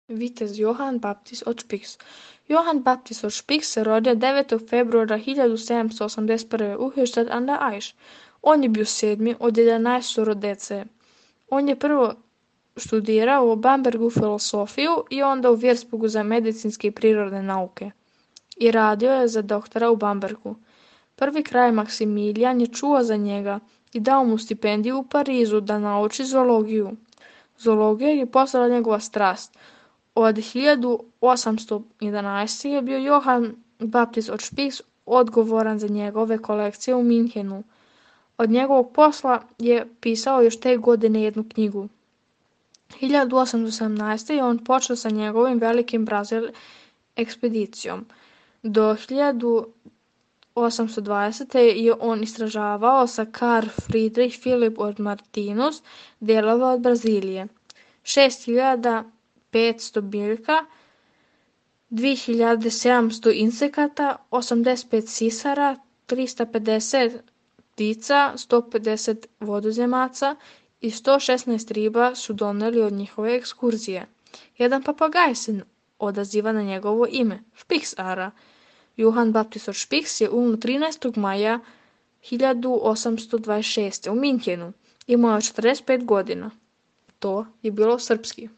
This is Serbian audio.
Vitez Johann Baptist od Spix. Johann Baptist od Spix se rodio 9. februara 1781. u Höchstadt an der Aisch. On je bio 7. od 11 dece. On je prvo studirao u Bambergu filosofiju i onda u Würzburgu za medicinske i prirodne nauke. I radio je za doktora u Bambergu. Prvi kralj Maksimilijan je čuo za njega i dao mu stipendiju u Parizu da nauči zoologiju. Zoologija je postala njegova strast. Od 1811. je bio Johann Baptist od Spix odgovoran za njegove kolekcije u Minhenu. Od njegovog posla je pisao još te godine jednu knjigu. 1818. je on počeo sa njegovim velikim Brazil ekspedicijom. Do 1820. je on istražavao sa Karl Friedrich Philipp od Martinus delove od Brazilije. 6500 biljka, 2700 insekata, 85 sisara, 350 ptica, 150 vodozemaca i 116 riba su doneli od njihove ekskurzije. Jedan papagaj se odaziva na njegovo ime, Špiksara. Johann Baptist od Spix je umro 13. maja 1826. u Minhenu. Imao je 45 godina. To je bilo srpski.